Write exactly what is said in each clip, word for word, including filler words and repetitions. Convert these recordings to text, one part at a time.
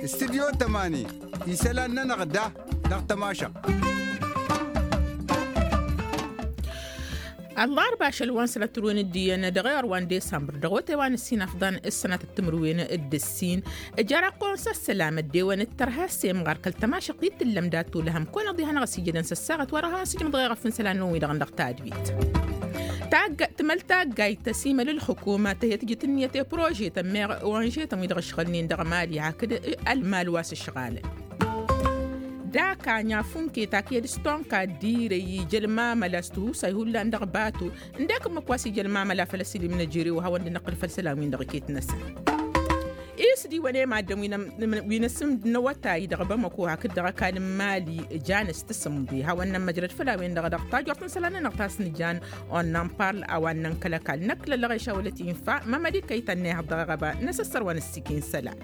Studyo tămani isălan-nănăɣ da dăɣ-tămašăɣt. Ăllarba ašăl wa n-sănăt tǝrwen d-iyyăn dăɣ-iɣăr wa n-desămbăr dăɣ-otewa n-ǝssin afḍăn s-sănăt d-timǝrwen d-ǝssin. Ǝjăr ăqqoyăn s-ăssălam ăddewăn d-tărha s-emɣar kăl-tămašăɣt i-tǝllăm dat-olăhăm kăwăn-iḍihăn a-s ijădăn s-ăssaɣăt wa dăɣ-han s-ijmăḍ ɣef n-isălan-năwăn wi-dăɣ n-dăɣ tadwit. Tagg tǝmăl taggayt tăsimăl ǝlxǝkuma tăhăt jǝt ǝnniyăt i-prožetăn meɣ onžetăn wi-dăɣ ǝšɣălnen dăɣ-mali hakd ălmal wa s-ǝšɣalăn. Daka n-afunke taked s-tonka d-irăy ija ălmamăla s-tihusay hullan dăɣ-bato. Ǝndek ǝmmǝk wa s-ija ălmamăla făll-ăsilim n-ejărew a hawăn-dd-năqqǝl făll-isălan-win-dăɣ iket-năsăn. Isdi wănemad-dăn wi n-asǝmd n-awătay dăɣ-bamăko hakd dăɣ-ăkall n-mali jan s-tǝsǝmḍe hawăn-nămmăjrăd făll-a-wen-dăɣ dăɣ-tajort n-isălan-nănăɣ ta s-nǝjan. Onnăn parl a-wa n-nănkăl ăkall năkk lăllăɣ i-šawălăt infa mămăd ikkăy tănnehăḍ dăɣ-eɣăba n-asăssăr wa n-ǝssikǝy n-isălan.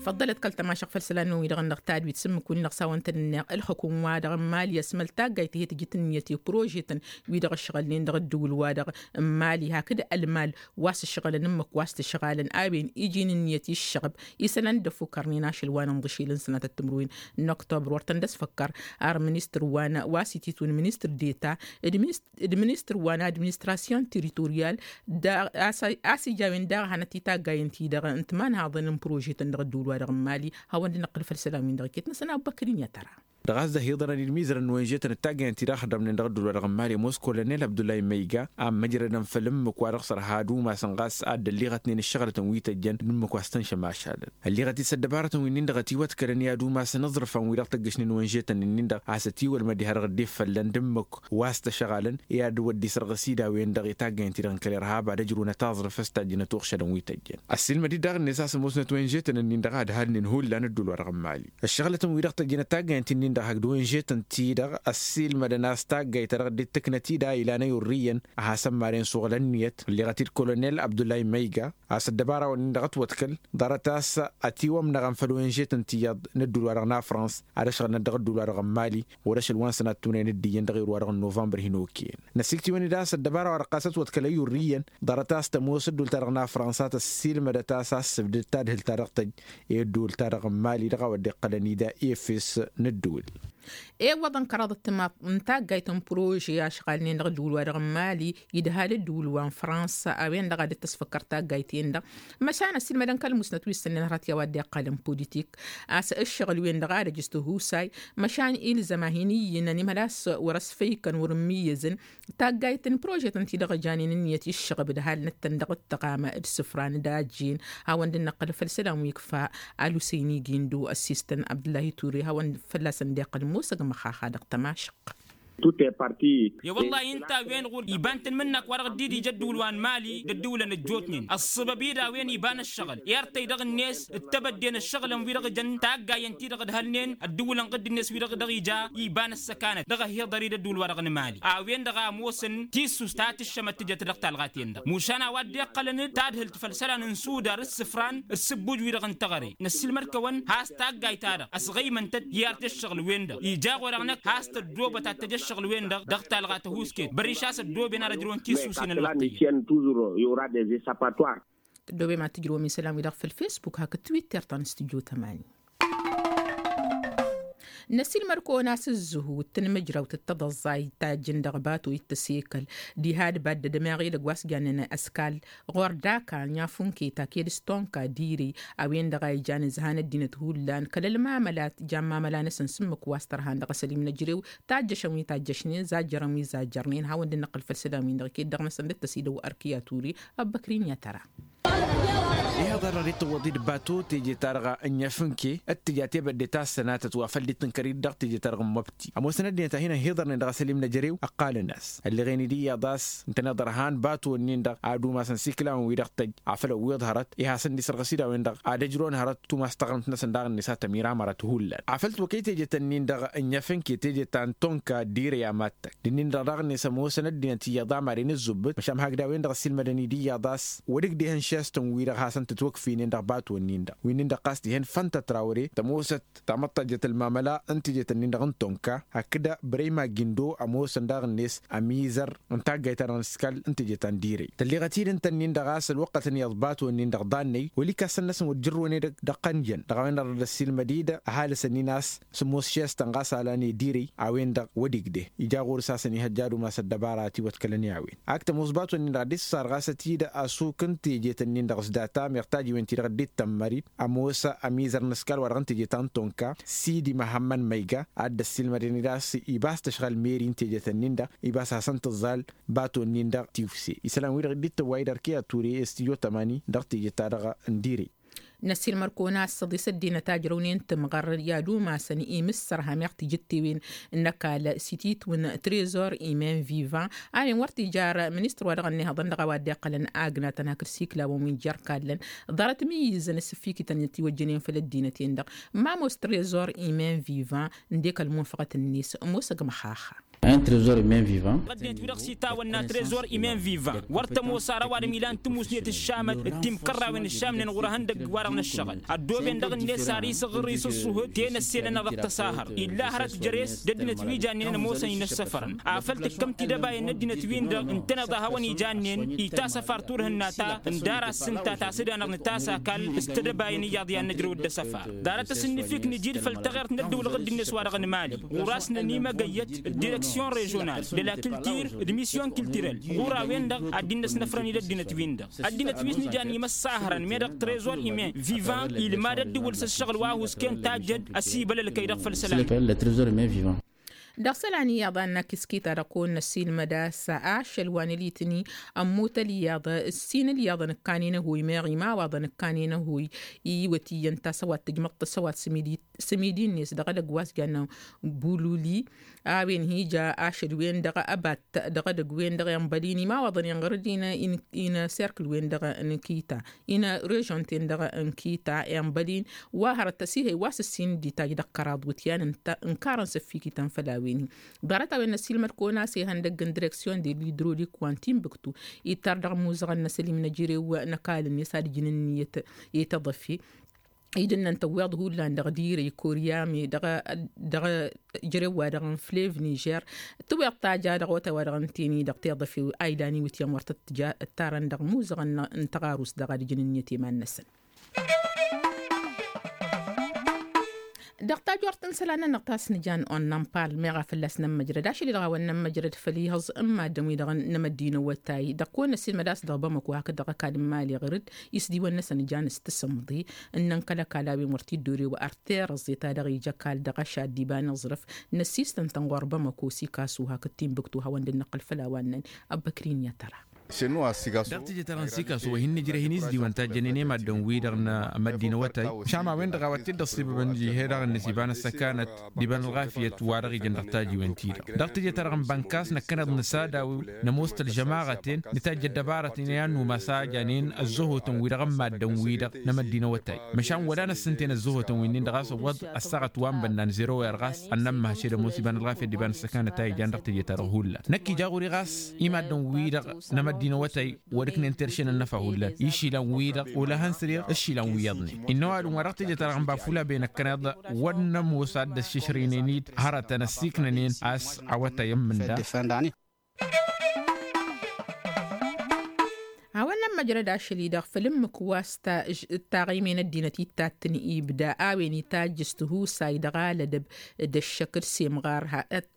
Făḍḍălăt kăl-tămašăɣ făll-isălan-năwăn wi-dăɣ n-dăɣ tadwit s-ǝmmǝk-win-dăɣ s-a-wăn tăn-ǝnneɣ ǝlxǝkum wa-dăɣ n-mali ăsmăl taggayt tihăt ǝjǝt ǝnniyăt i-prožetăn wi-dăɣ ǝšɣălnen dăɣ-ǝddǝwǝl-wa-dăɣ n-mali hakd ălmal wa s-ǝšɣălăn ǝmmǝk wa s-t-ǝšɣalăn a-wen iji n-ǝnniyăt i-ǝššăɣb isălan dd-ăfukărnen ašăl wa n-inḍǝšel n-sănatăt timǝrwen n-oktobăr wăr tăn-dd-ăsfăkkăr. Ar ministăr wa n-wa s-ititun ministăr deta d-ministăr wa n-administrasyon tiritoryal. A-s ija a-wen daɣ hanăt-i taggayen-ti-dăɣ n-timanhaḍăn n-prožetăn dăɣ-ădduul-wa-dăɣ n-mali hawăn-dd-năqqǝl făll-isălan-win-dăɣ iket-năsăn a ubbăkrin i-ad-tăra. Dăɣ-a-s dăɣ-hiḍărăn i-dd-mizărăn n-wenžetăn d-taggayen-ti-dăɣ ăxdămnen dăɣ-ădduul-wa-dăɣ n-mali ămoos kolonel abdullahi măyga a ămmăjrădăn făll-ǝmmǝk wa dăɣ-s ărha ad-umasăn ɣas a dd-ălliɣătnen ǝššăɣlătăn wi tăjjăn d-ǝmmǝk wa s-tăn-šămašalăn. Ălliɣăt-dd s-ăddăbarătăn wi-nin-dăɣ ătiwătkălăn i-ad-umasăn aẓrǝfan wi dăɣ-tăggăšnen wenžetăn-nin-dăɣ a-s ătiwălmăd diha-dăɣ dd-iffăllăn d-ǝmmǝk wa s-tăšăɣalăn i-ad-wăr dd-isărɣǝs idawen-dăɣ i-taggayen-ti-dăɣ n-kăl-irhab ad-ăjrǝwăn ătaẓrǝf s-tajjǝnăt uɣšălăn wi tăjjăn. Ăssiilmăd-dd daɣ-net a-s ămoosnăt wenžetăn-nin-dăɣ a dd-halnen hullan ădduul-wa-dăɣ n-mali ăššăɣlătăn wi-dăɣ tăjjănăt taggayen-ti-nin-dăɣ hakd wenžetăn-ti-dăɣ ăssiilmădăn a-s taggayt ta dăɣ-dd-tǝknăt-dd a ilan ăyurrǝyăn a has-ămmaren suɣǝl ǝnniyăt ălleɣăt-dd kolonel abdullahi măyga. A-s ăddăbara-wăn-in-dăɣ ătwăḍkăl ḍarăt a-s ătiwămnăɣăn făll-wenžetăn tiyyăḍ n-ădduul-wa-dăɣ n-afrans ad-ăšɣălnăt dăɣ-ădduul-wa-dăɣ n-mali. Wăr-ašăl wa n-sănat tumnen d-iyyăn dăɣ-iru-wa-dăɣ n-novămbăr hin-okăyăn. Năsiktǝwăn-dd a-s ăddăbara-wa-dăɣ ɣas ătwăḍkăl ăyyurrǝyăn ḍarăt a-s tămoos ădduul-ta-dăɣ n-afrans a tăssiilmădăt a-s a ăssǝbdăd tadhǝlt-ta-dăɣ tăjj i-ădduul-ta-dăɣ n-mali dăɣ-a-wa dd-iqqălăn ida efes n-ădduul. Iwwăḍăn kăraḍăt timaḍt n-taggayt n-prože ašɣalnen dăɣ-ădduul-wa-dăɣ n-mali idhal ădduul wa n-fransa a-wen-dăɣ a dd-tăsfăkkăr taggayt-en-dăɣ. Măšan ăssiilmădăn kăl-musnăt wi s-tănnen hărăt i-a-wa dd-iqqălăn politik a-s ǝššăɣǝl-wen-dăɣ ad-ăj s-tihusay. Măšan ilzăm a hin-iyyǝnăn imhăl a-s wăr-ăsfăykăn wăr-ǝmmǝyyăzăn taggayt n-prožetăn-ti-dăɣ ăjanen ǝnniyăt i-ǝššăɣǝb d-halnăt-tăn dăɣ-ǝttăɣamă d-isǝfran d-ajjen. Hawăn-dd-năqqăl făll-isălan wi ǝkfa ălusăyni gindo ăssistăn abdǝllahi ture hawăn fălla-săn dd-iqqăl musăg măxaxa dăɣ-tămašăɣt. I-wăllah ǝnta a-wen ɣur-iba n-tanmǝnnak wa dăɣ-dd-ija ădduul wa n-mali d-ădduulăn ăjjootnen ăṣṣăbăb-i d-a-wen iba n-ăššăɣǝl i-artăy dăɣ-net d-tebădde n-ăššăɣǝlăn wi-dăɣ jăn taggayen-ti-dăɣ ǝdhălnen ădduulăn ɣǝdd-net wi-dăɣ dăɣ-ija iba n-ăssăkanăt dăɣ-ăhiḍăr-i d-ădduul wa dăɣ-nǝmali a-wen-dăɣ a ămoosăn tissust ta tǝššămăt tǝjăt dăɣ-talɣa-ten-dăɣ mušan a-wa dd-iqqălăn d-tadhǝlt făll-isălan n-sudar d-isǝfran d-isǝbbuj-wi-dăɣ n-teɣăre. Năssiilmăd-kăwăn has-taggayt-ta-dăɣ ăsɣăymăn-tăt i-ar tǝššăɣǝl-wen-dăɣ ija ɣur-eɣ năkk has-tăddoobăt ad-tăj ăššăɣǝl-wen-dăɣ dăɣ-talɣa tăhusket băriš a-s ăddooben ad-ăjrăwăn tissǝwsin ălwăqq tăjjăn. Tăddoobem ad-tǝjrǝwăm isălan-wi-dăɣ făll-fesbuk hakd twitter ta n-studyo tămani. Năsiilmăd-kăwăn a-s ǝzzǝhut n-imǝjrawt d-tăḍăẓẓayt tajjǝn dăɣ-bato i-tăsekăl diha d-baddăd meɣ edăgg wa s-jannen ăskal ɣur-daka n-afunke taked s-tonka d-irey a-wen-dăɣ a ijan ǝzhan ăddinăt hullan kăl-ălmamălat jan mamăla-năsăn s-ǝmmǝk wa s-tărhan dăɣ-asălim n-ejărew tajjăšăn wi tajjăšnen zajjărăn wi zajjărnen hawăn-dd-năqqǝl făll-isălan-win-dăɣ iket dăɣ-năsăn dd-tăsidăw ărk i-aturi. Ăbbăkrin i-ad-tăra. Iha ḍarrăr i-tăwwăḍ-i d-bato teje-ta-dăɣ n-efǝnke d-tǝja tebădde ta s-sănatăt wa făl dd-tǝnkăr-dd dăɣ-teje-ta-dăɣ n-măbti ămoosăn ăddinăt a hin-ăhiḍărnen dăɣ-asălim n-ejărew ǝqqalăn-as ălleɣen-dd iyyăḍ a-s ǝntăneḍ ărhan bato-nin-dăɣ ad-umasăn s-iklawăn-wi-dăɣ tăjj afăl ăwwiḍ hărăt i-hasăn-dd-isărɣǝs idawăn-dăɣ ad-ăjrăwăn hărăt tumas taɣrǝmt-năsăn daɣ-net a tămir amărăt hullan afăl twăkăy teje-tăn-nin-dăɣ n-efǝnke teje ta n-tonka d-irăy a mad-tăkk d-ǝnnin-dăɣ daɣ-net ămoosăn ăddinăt iyyăḍ amar-in ǝzzubbǝt măšan hakd a-wen-dăɣ ăssiilmădăn-dd iyyăḍ a-s wăr-ǝgdehăn šestăn-wi-dăɣ hasăn tǝtwăkfinen dăɣ-bato-nin-dăɣ wi-nin-dăɣ ɣas dihen fănta trawre tămoosăt tamăṭṭajjăt ălmamăla n-tejet-nin-dăɣ n-tonka hakd brăyma gindo ămoosăn daɣ-net ămizăr n-taggayt-ta-dăɣ n-iskal n-teje ta n-direy tălleɣăt-dd ǝnta-nin-dăɣ a-s ălwăqqăt n-iyyăḍ bato-nin-dăɣ ḍannăy wăla ikasăn-năsăn wăr jǝrrǝwăn edăgg dăɣ-tăn-jăn dăɣ-a-wen-dăɣ dăr-dd-ăssiilmăd-dd ăhalǝsăn-in a-s sǝmmos šestăn ɣas alan i-direy a-wen-dăɣ wăr-igdeh ija ɣur-s a-s ănihăjja ad-umas ăddăbara a tiwăḍkălăn i-a-wen ak tămoos bato-nin-dăɣ a dd-issarɣasăt-dd asuk n-tejet-nin-dăɣ s-data meɣ tajiwen-ti-dăɣ dd-tămmări ămoos ămizăr n-ăskal wa dăɣ-n teje ta n-tonka sidi măhămmăn măyga a dd-ăssiilmădăn-dd a-s ibas tăšɣăl meri n-tejet-nin-dăɣ ibas hasăn-tǝẓẓal bato-nin-dăɣ tiwse isălan-wi-dăɣ dd-tăwway d-ărke a ture s-tijo tămani dăɣ-teje-ta-dăɣ n-dire. Năsilmăr-kăwăn a-s săḍisăt d-inătajrăwnen tǝmɣăr i-ad-umasăn imǝssărha meɣ tijǝttewen n-ăkall s-ititwǝn trezor imen vivan a-wen wăr t-ijar ministăr wa dăɣ-ănnihăḍăn dăɣ-a-wa dd-iqqălăn agnatăn hakd siklawăn wi n-jer-kallăn ḍarăt mǝyyǝzăn s-ǝffikităn itiwăjjănen făll-ăddinăt-en-dăɣ. Ma ămoos trezor imen vivan ǝndek ălmunfăɣăt-net ămoos ăgg măxaxa. Ăddinăt-wi-dăɣ s-ittawănna trezor imen vivan wăr tămoos ar ăwadǝm ilan tǝmusnet ǝššamăt d-timkărrawen ǝššamnen ɣur-ehăndăgg-wa-dăɣ n-ǝššăɣǝl ăddooben dăɣ-net ar isǝɣǝr isǝṣṣuhǝd tenăsselăn-năɣ dăɣ-tăsahăr illa hărăt jere-s d-ăddinăt wi jannen ămoosăn inǝssăfărăn afăl tǝkkăm tidăbayăn n-ăddinăt-win-dăɣ ǝntăneḍ a hawăn-ijannen itasăfar turhǝnna ta n-dara s-ǝnta ta s-dd-anăɣ nǝtas akall s-tedăbayăn iyyăḍ i-ad-nǝjrăw d-asăfar ḍarăt asǝnnǝfik nǝjid făll-taɣert n-ăddăwlăɣ ăddinăt-wa-dăɣ n-mali ɣur-a-s nănimăgăyyăt d-direksyon režional d-la kiltir d-misyon kiltirel ɣur-a-wen-dăɣ ad-dd-innăsnăfrăn-dd ăddinăt-win-dăɣ ăddinăt wi s-nǝjan imăssahărăn meddăɣ trezor imen vivan ilmad ăddǝwǝl s-ăššăɣǝl wa huskent tajjăd ăsibălălkăy-dăɣ făll-isălan. Dăɣ-isălan iyyăḍ a n-akǝskita-dăɣ kăwăn-năsilmăd a-s ašăl wa n-alitni ămmut ălyaḍ ǝssin ălyaḍăn ǝkkanen ăhoy meɣ imawaḍăn ǝkkanen ăhoy iwăt iyyăn tasăwat tǝjmăḍ tasăwat s-imidi-net dăɣ-edăgg wa s-jannen bululi a-wen hi-ija ašăl-wen-dăɣ ăbat dăɣ-edăgg-wen-dăɣ i-ănbălin imawaḍăn inɣăr-dd inăserkǝl-wen-dăɣ n-kita inărežon-ten-dăɣ n-kita i-ănbălin wa hărăt ăsihăy wa s-ǝssin dd-itajj dăɣ-kăraḍ wǝtyan ǝnkarăn s-ăffikităn făll-a-wen-hi. Ḍarăt-a-wen năsilmăd-kăwăn-as ihăndăgg n-direksyon de l-idrolik wa n-tinbǝktu ittar dăɣ-imuzăɣăn n-asălim n-ejărew n-ăkall-net ad-ǝjǝn ǝnniyăt i-tăḍăfe idǝnnăn tăwweḍ hullan dăɣ-dirăy koryame dăɣ-ejărew-wa-dăɣ n-flev nižer tǝwweḍ taja dăɣ-otay-wa-dăɣ n-teni dăɣ-tiḍăfe a ilan iwǝtyan wăr tăt-tǝja ǝttarăn dăɣ-imuzăɣăn n-tăɣarust dăɣ-ad-ǝjǝn ǝnniyăt i-iman-năsăn. Dăɣ-tajort n-isălan-nănăɣ ta s-nǝjan onnănpal meɣ a fălla-s nămmăjrăd ašăl-i-dăɣ a-wăn nămmăjrăd făll-ihăẓ n-maddǝn-wi-dăɣ n-amăddinăwătay dăɣ-kăwăn-năsilmăd a-s dăɣ-bamăko hakd dăɣ-ăkall n-imali ɣǝr-dd isdiwăn-năsăn ijan s-tǝsǝmḍe ǝnnăn kăl-ăkall a-wen wăr t-dd-orew ărterăẓẓe ta dăɣ-ija ăkall dăɣ-ašaddi iba n-aẓrǝf năssistăn-tăn ɣur-bamăko s-ikasu hakd tinbǝktu a hawăn-dd-năqqǝl făll-a-wa ǝnnăn. Ăbbăkrin i-ad-tăra. Dăɣ-teje-ta-dăɣ n-sikasu wa hin-nǝjreh-in izdiwăn tajjănen i-maddǝn-wi-dăɣ n-amăddinăwătay. Măšan a-wen-dăɣ a-wa t-dd-ăṣṣibăbăn ija ihe-dăɣ-net iba n-ăssăkanăt d-iba n-ălɣafyăt wa dăɣ-ijăn dăɣ-tajiwen-ti-dăɣ dăɣ-teje-ta-dăɣ n-bănkas năkkăneḍ nǝsadaw nămoos tălžămaɣăten nǝtajj ăddăbarăten i-ad-numas a janen ăzzăhotăn-wi-dăɣ n-maddǝn-wi-dăɣ n-amăddinăwătay. Măšan wăla năssǝnten ăzzăhotăn wi-nin-dăɣ a-s ăwwăḍ ăssaɣăt wa n-bănnan zero erɣas ănnămmăhăšed ămoos iba n-ălɣafyăt d-iba n-ăssăkanăt a ijan dăɣ-teje-ta-dăɣ hullan năkk ija ɣur-i ɣas i-maddǝn-wi-dăɣ n-amăddinăwătay wăr ǝknen terše n-ănnăfa hullan išilan-wi-dăɣ wăla hăn săreɣ ǝššilan wi iyyăḍnen. Innă ăwadǝm wa dăɣ-teje-ta-dăɣ n-bafula be năkkăneḍ wăr nămoos ad-dd-ăššăšrăynen-dd hărătăn ăssiiknănen a-s awătay ǝmmǝnda. A-wa n-ămmăjrăd ašăl-i-dăɣ făll-ǝmmǝk wa s-taɣăyme n-ăddinăt ittattǝn ibda a-wen itajj s-tihusay dăɣ-alădăb d-ăššăk d-semɣar.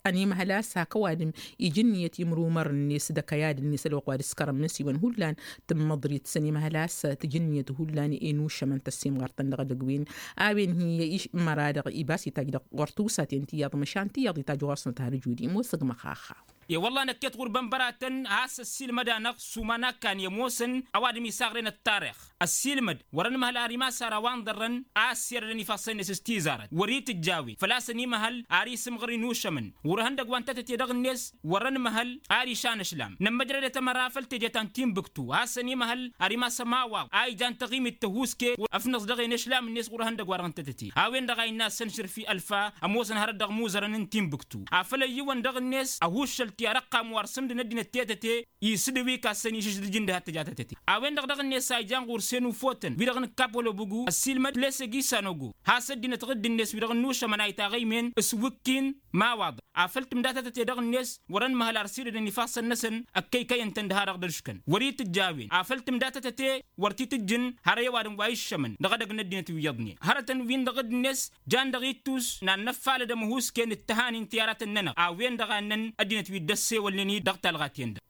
Ănimăhăl a-s hak ăwadǝm ija ǝnniyăt imrumăr-net d-ăkăyad-net ălwăqq wa dd-ǝskărăn imǝnsiwăn hullan tǝmmăḍrit s-ănimăhăl a-s tǝja ǝnniyăt hullan i-nušămăn tăssimɣart-tăn dăɣ-edăgg-wen. A-wen hi-iš măra-dăɣ ibas itajj dăɣ-ɣur-tusaten tiyyăḍ măšan tiyyăḍ itajj ɣur-snăt har ǝjud-i ămoos ăgg măxaxa. I-wălla năkket ɣur-bănbăratăn a-s ăssiilmăd-anăɣ s-uman akkan i-ămoosăn ăwadǝm isaɣre n-ăttarix ăssiilmăd wăr-ănmăhăl ar imas ar a-wa n-ḍărrăn a ăssiirădăn ifassăn-net s-tizarăt wăr-itǝjj a-wen făl-a-s ănimăhăl ar isǝmɣăr inušămăn ɣur-ehăndăgg wa n-tetăte dăɣ-net wăr-ănmăhăl ar išan ăšlam nămmăjrădet ămăra făll-teje ta n-tinbǝktu a-s ănimăhăl ar imas ămawaḍ a ijan taɣimit tăhuske ăfnăẓ dăɣ-en ăšlam-net ɣur-ehăndăgg wa dăɣ-n tetăte. A-wen-dăɣ a innă a-s ănšǝrf i-ălfa ămoosăn hărăt dăɣ-imuzărăn n-tinbǝktu afăl ăyyiwăn dăɣ-net ăhuššăl. ti-arăqqam wa ărsǝmdăn ăddinăt tetăte isǝdǝw ikassăn išǝždǝj ǝndǝhăt tǝja tetăte. A-wen-dăɣ dăɣ-net a ijan ɣur-sen ufotăn wi-dăɣ nǝkkapălobǝgu ăssiilmăd lesăg isanog has-ăddinăt dăɣ-dd-net wi-dăɣ ănnušămăn a itaɣăymen s-wǝkkin mawaḍăn afăl tǝmda tetăte dăɣ-net wăr-ănmăhăl ar sirdădăn ifassăn-năsăn ăkkăykăyăn-tăn d-ha-dăɣ dăr-iškăn wăr-itǝjj a-wen afăl tǝmda tetăte wăr t-itǝjjǝn har i-ăwadǝm wa iššămăn dăɣ-edăgg n-ăddinăt wi iyyăḍnen hărătăn-win-dăɣ dd-net jan dăɣ-ittus n-ad-năffalăd ămhusken d-tăhanin ti-aratăn-nănăɣ a-wen-dăɣ a ǝnnăn ăddinăt wi dd-ăssewălnen-i dăɣ-talɣat-en-dăɣ.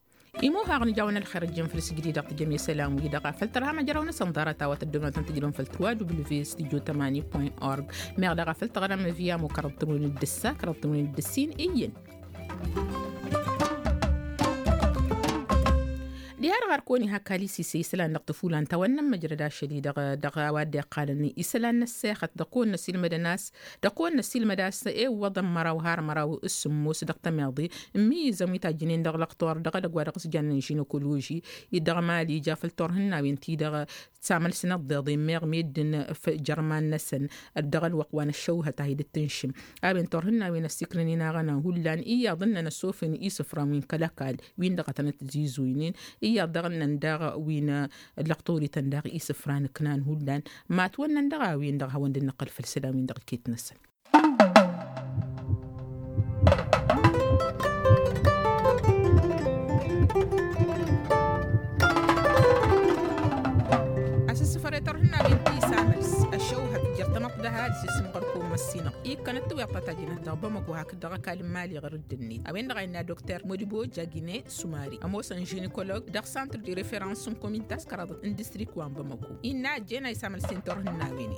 Imuhaɣ nǝjawăn ălxer ăjjǝn făll-sǝjdidăɣ tǝjăm i-isălan-wi-dăɣ afăl tărha măjrăw-năsăn ḍarăt a-wa tăddăwnătăn tǝjrǝwăn făll-twadubǝl v s tijjo tămani point org. Meɣ daɣ afăl tăɣrăm via mukărăḍ tǝmǝnun d-ǝssa kărăḍ tǝmǝnun d-ǝssin iyyăn. Diha-dăɣ ar kăwăn-iha kalisise isălan dăɣ-tăfulan tawănnăn măjrăd ašăl-i-dăɣ dăɣ-a-wa dd-iqqalăn isălan n-ăssexăt dăɣ-kăwăn-năsilmădăn a-s dăɣ-kăwăn-năsilmăd a-s ewwăḍăn măraw har măraw s-sǝmmos dăɣ-tămeḍe. Ǝmmǝyyǝzăn wi tajjǝnen dăɣ-lăqtor dăɣ-edăgg wa dăɣ-s jannen žinăkoloži-i dăɣ-mali ija făll-turhǝnnawen-ti-dăɣ. Samăl s-inăḍḍeḍen meɣ meddǝn f-jărman-năsăn dăɣ-ălwăqq wa n-ăššăwhăt a hi-dd-tǝnšǝm. A-wen turhǝnnawen ăssikrǝnen aɣăna hullan iyyăḍ ǝnnăn ăsofǝn isǝfran wi n-kăl-ăkall wi n-dăɣ-tănăt-tizuynen iyyăḍ dăɣ-ǝnnăn daɣ wi n-lăqtorităn daɣ isǝfran ǝknan hullan. Matwănnăn dăɣ-a-wen-dăɣ hawăn-dd-năqqăl făll-isălan-win-dăɣ iket-năsăn. Asǝssǝfăr i-turhǝnnawen ti s-amăls ăššăwhăt jer-tamăḍt d-ăhalǝs isǝmɣăr-kăwăn măssinăɣ ikkăn ăttăwweḍ ta tajjănăt dăɣ-bamăko hakd dăɣ-ăkall n-imali ɣur-dd-net a-wen-dăɣ a innă dokter modibo jagine sumari ămoosăn žinikolog dăɣ-santr di referans n-komin taskăraḍăt n-distrik wa n-bamăko innă ăjjeen a isamăl s-inturhǝnnawen-in.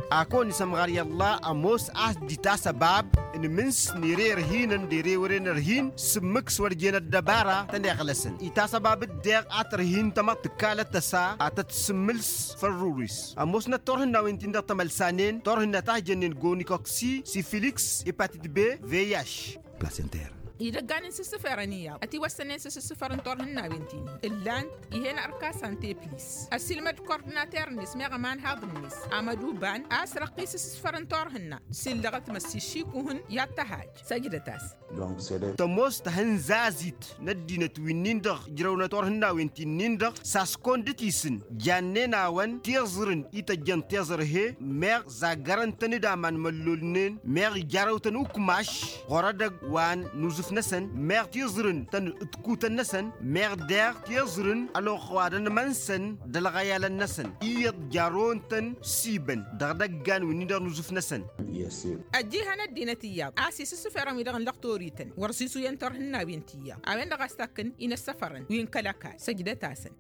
A kăwăn-isămɣar i-ălla ămoos a-s dd-itasăbab n-imǝns n-ere ărhinăn d-ere wăren ărhin s-ǝmmǝk s-wăr jen ăddăbara tăn-iɣlăsăn itasăbab-dd deɣ a tărhin tamăḍt tǝkkalăt tăsa a tăt-sǝmmǝls făll-rurǝs. Ămoosnăt turhǝnnawen-tin-dăɣ tămălsanen turhǝnna ta hijănnen gonikoksi sifiliks ipatit be veyaš. Placenter. Idăggan n-isǝssǝferăn iyyăḍ ătiwăssănen s-isǝssǝfăr n-turhǝnnawen-tin-i ǝllan-t ih'-en ărkasan teplis ăssiilmăd kordinater-net meɣ ămanhaḍ-net amăduban a-s răqqis s-isǝssǝfăr n-turhǝnna s-illăɣăt măssi šikuhǝn i-ad-tăhaj. Săjdăt-as. Tămoos tahǝnzazit n-ăddinăt wi-nin-dăɣ ǝjrăwnăt turhǝnnawen ti-nin-dăɣ s-askon dăt-isǝn jannen-awăn tiẓrǝn i-tăjjăn tiẓrǝhe meɣ zaggărăn-tăn-dd aman măllolnen meɣ ijarăw-tăn ukmaš ɣur-edăgg wa n-uzǝf-năsăn meɣ tiẓrǝn-tăn d-kutăn-năsăn meɣ deɣ tiẓrǝn ălwăqq wa dăn-imănsăn d-ălɣăyalăn-năsăn iyyăḍ jarrăwăn-tăn s-ibăn dăɣ-idăggan wi-nin-dăɣ n-uzǝf-năsăn. Ăjjihăn ăddinăt iyyăḍ a-s isǝssǝferăn-wi-dăɣ n-lăqtorităn wăr-sisuyen turhǝnnawen ti iyyăḍ a-wen-dăɣ a-s takkǝn-in ăssăfărăn wi n-kăl-ăkall săjdăt-asăn.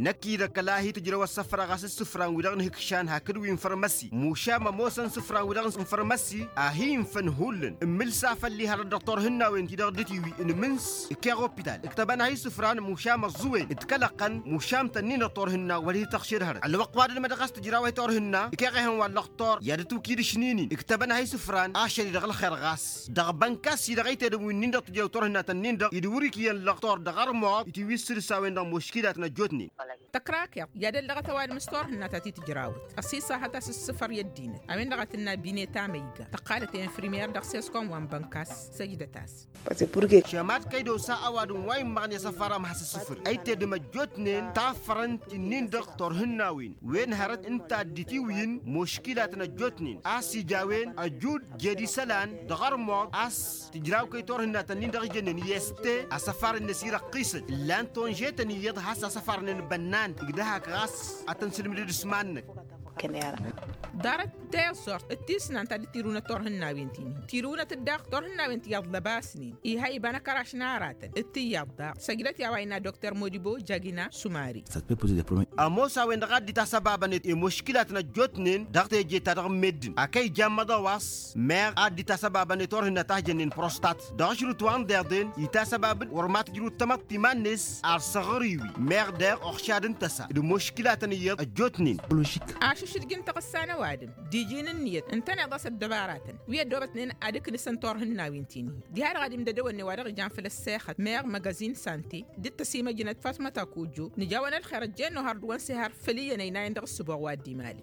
Năkk-i d-ăkall a hi-tǝjrăw ăssăfrăɣ a-s isǝfran-wi-dăɣ n-ihǝkšan hakd wi n-fărmăsi mušam ămoosăn isǝfran-wi-dăɣ n-fărmăsi a hi-infăn hullan ǝmmǝl s-afăl ihărăt dăɣ-turhǝnnawen-ti-dăɣ dd-tiwi n-imǝns ǝkkeɣ opital ǝktăbăn-ahi isǝfran mušam ăẓẓuwen d-kăl-ăqqăn mušam-tăn-in-dăɣ turhǝnna wăr hi-tăɣšed hărăt ălwăqq wa dăd-mădăɣ a-s tǝjraw i-turhǝnna ǝkkeɣ ehăn wa n-lăqtor i-ad-ǝtwǝkid ǝšnin-in ǝktăbăn-ahi isǝfran ašăl-i dăɣ-ălxer ɣas dăɣ-bănka s-i-dăɣ ăytedăn wi-nin-dăɣ tǝjrew turhǝnna-tăn-in-dăɣ i-dd-wăr-ik iyyăn lăqtor dăɣ-ărmuḍ itǝwwi s-sǝrǝs a-wen-dăɣ muškilat n-ăjjootnen. Tăkrakeḍ i-ad-ăllăɣăt ăwadǝm s-turhǝnna ta t-tǝjrawăt ăṣṣiṣahăt a-s ǝssǝfăr i-ăddinăt a-wen-dăɣ a tǝnna bine tamăyga tăqqalăt i-infirmer dăɣ-seskom wa n-bănkas. Săjdăt-as. Šămat kăy-dd-osa ăwadǝm wa immăɣne asăfar amhas ǝssǝfăr ăytedăm ăjjootnen tafărăn ti-nin-dăɣ turhǝnnawen wen hărăt ǝnta a dd-itiwǝyǝn muškilat n-ăjjootnen a-s ija a-wen ăjud jed isălan dăɣ-ărmuḍ a-s tǝjraw kăy-turhǝnna-tăn-in-dăɣ ijănnen i-este asăfar-net irăqqisăt ǝllan-t onže-tăn iyyăḍ has-asăfar-nen bănnan ǝgdăhak ɣas ad-tăn-sǝlmǝdăd s-iman-năk. Ḍarăt teẓẓurt d-tisnant ta dd-tirǝwnăt turhǝnnawen-tin-in tirǝwnăt-dd daɣ turhǝnnawen ti iyyăḍ lăbasnen iha iba n-akăraš n-aratăn d-ti iyyăḍ daɣ săjdăt i-a-wa innă dokter modibo jagina sumari. Ămoos a-wen-dăɣ a dd-itasăbabăn i-muškilat n-ăjjootnen dăɣ-teje-ta-dăɣ n-meddǝn a kăy-ijam măḍăwas meɣ a dd-itasăbabăn i-turhǝnna ta hijănnen prostat dăɣ-ašrǝt wa n-deḍen itasăbab-dd wăr mad-tǝjrǝw d-tamăḍt iman-net ar săɣrǝy-wi meɣ deɣ uɣšad n-tăsa d-muškilatăn iyyăḍ ăjjootnen. Ašǝšdǝj n-taɣǝssa n-ăwadǝm d-iji n-ǝnniyăt ǝntăneḍ a-s ăddăbaratăn wi ăddoobătnen ad-ǝknǝsăn turhǝnnawen-tin-i diha-dăɣ ad-imdădăwăn i-wa dăɣ-ijan făll-ăssexăt meɣ măgăzin sante d-tăsimăjnăt fatmăt akujjo nǝja-wăn ălxer ăjjeen nohăr d-wăn sehăr făll-iyyăn ăynayăn dăɣ-ǝssǝboɣ wa dd-imali.